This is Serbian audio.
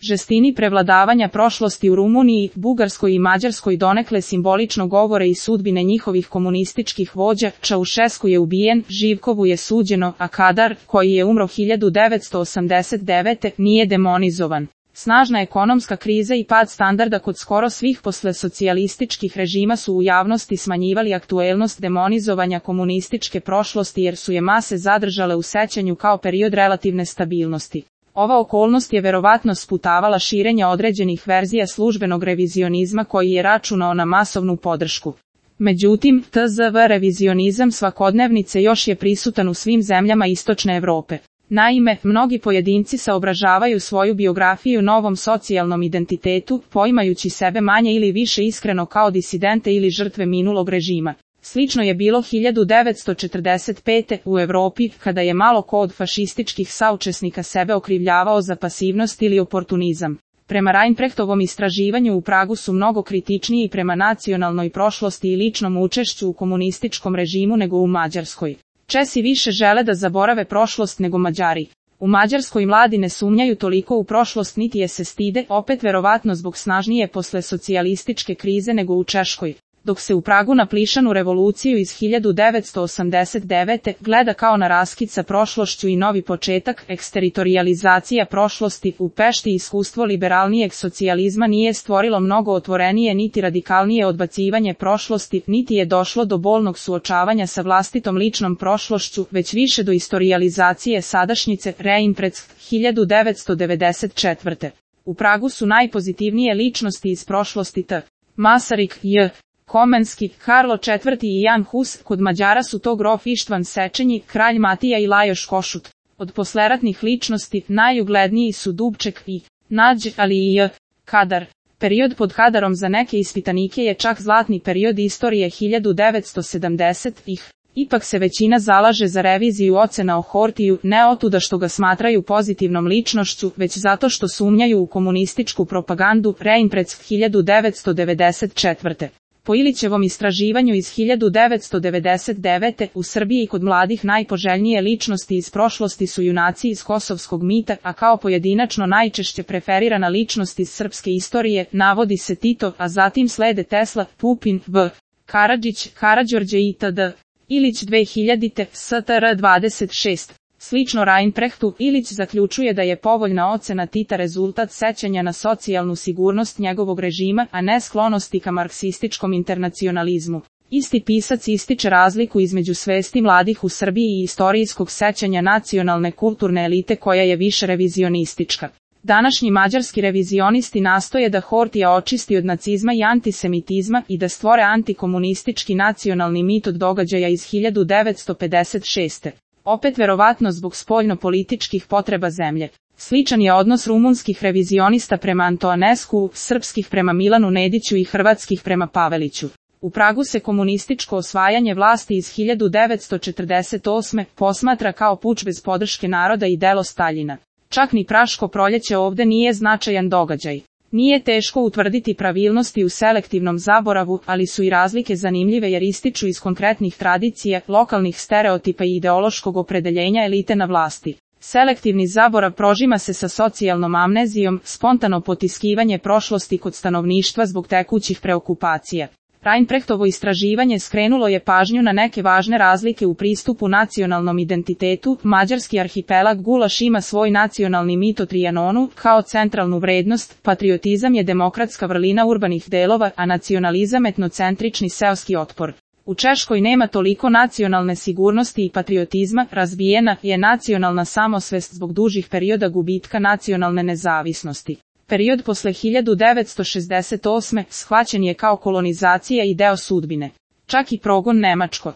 žestini prevladavanja prošlosti u Rumuniji, Bugarskoj i Mađarskoj donekle simbolično govore i sudbine njihovih komunističkih vođa. Čaušesku je ubijen, Živkovu je suđeno, a Kadar, koji je umro 1989. nije demonizovan. Snažna ekonomska kriza i pad standarda kod skoro svih poslesocijalističkih režima su u javnosti smanjivali aktuelnost demonizovanja komunističke prošlosti jer su je mase zadržale u sećanju kao period relativne stabilnosti. Ova okolnost je verovatno sputavala širenje određenih verzija službenog revizionizma koji je računao na masovnu podršku. Međutim, tzv. Revizionizam svakodnevnice još je prisutan u svim zemljama istočne Evrope. Naime, mnogi pojedinci saobražavaju svoju biografiju novom socijalnom identitetu, poimajući sebe manje ili više iskreno kao disidente ili žrtve minulog režima. Slično je bilo 1945. u Evropi, kada je malo ko od fašističkih saučesnika sebe okrivljavao za pasivnost ili oportunizam. Prema Reinprechtovom istraživanju u Pragu su mnogo kritičniji prema nacionalnoj prošlosti i ličnom učešću u komunističkom režimu nego u Mađarskoj. Česi više žele da zaborave prošlost nego Mađari. U Mađarskoj mladi ne sumnjaju toliko u prošlost niti je se stide, opet verovatno zbog snažnije poslesocijalističke krize nego u Češkoj. Dok se u Pragu na plišanu revoluciju iz 1989. gleda kao na raskid sa prošlošću i novi početak, eksteritorializacija prošlosti, u Pešti iskustvo liberalnijeg socijalizma nije stvorilo mnogo otvorenije niti radikalnije odbacivanje prošlosti, niti je došlo do bolnog suočavanja sa vlastitom ličnom prošlošću, već više do istorijalizacije sadašnjice, Reinprecht, 1994. U Pragu su najpozitivnije ličnosti iz prošlosti T. Masaryk, J. Komenski, Karlo IV. I Jan Hus, kod Mađara su to grof Ištvan Sečenji, kralj Matija i Lajoš Košut. Od posleratnih ličnosti, najuglednijih su Dubček i Nađ, ali i J. Kadar. Period pod Kadarom za neke ispitanike je čak zlatni period istorije 1970-ih. Ipak se većina zalaže za reviziju ocena o Hortiju, ne otuda što ga smatraju pozitivnom ličnošću, već zato što sumnjaju u komunističku propagandu, Reinprecht 1994. Po Ilićevom istraživanju iz 1999. u Srbiji kod mladih najpoželjnije ličnosti iz prošlosti su junaci iz kosovskog mita, a kao pojedinačno najčešće preferirana ličnost iz srpske istorije navodi se Tito, a zatim slede Tesla, Pupin, V. Karadžić, Karađorđe itd. Ilić 2000. STR 26. Slično Reinprechtu, Ilić zaključuje da je povoljna ocena Tita rezultat sećanja na socijalnu sigurnost njegovog režima, a ne sklonosti ka marksističkom internacionalizmu. Isti pisac ističe razliku između svesti mladih u Srbiji i istorijskog sećanja nacionalne kulturne elite koja je više revizionistička. Današnji mađarski revizionisti nastoje da Hortija očisti od nacizma i antisemitizma i da stvore antikomunistički nacionalni mit od događaja iz 1956. Opet verovatno zbog spoljno-političkih potreba zemlje. Sličan je odnos rumunskih revizionista prema Antoanescu, srpskih prema Milanu Nediću i hrvatskih prema Paveliću. U Pragu se komunističko osvajanje vlasti iz 1948. posmatra kao puč bez podrške naroda i delo Staljina. Čak ni Praško proljeće ovde nije značajan događaj. Nije teško utvrditi pravilnosti u selektivnom zaboravu, ali su i razlike zanimljive jer ističu iz konkretnih tradicija, lokalnih stereotipa i ideološkog opredeljenja elite na vlasti. Selektivni zaborav prožima se sa socijalnom amnezijom, spontano potiskivanje prošlosti kod stanovništva zbog tekućih preokupacija. Reinprechtovo istraživanje skrenulo je pažnju na neke važne razlike u pristupu nacionalnom identitetu. Mađarski arhipelag Gulaš ima svoj nacionalni mit o Trijanonu kao centralnu vrednost, patriotizam je demokratska vrlina urbanih delova, a nacionalizam etnocentrični seoski otpor. U Češkoj nema toliko nacionalne sigurnosti i patriotizma, razvijena je nacionalna samosvest zbog dužih perioda gubitka nacionalne nezavisnosti. Period posle 1968. shvaćen je kao kolonizacija i deo sudbine. Čak i progon nemačko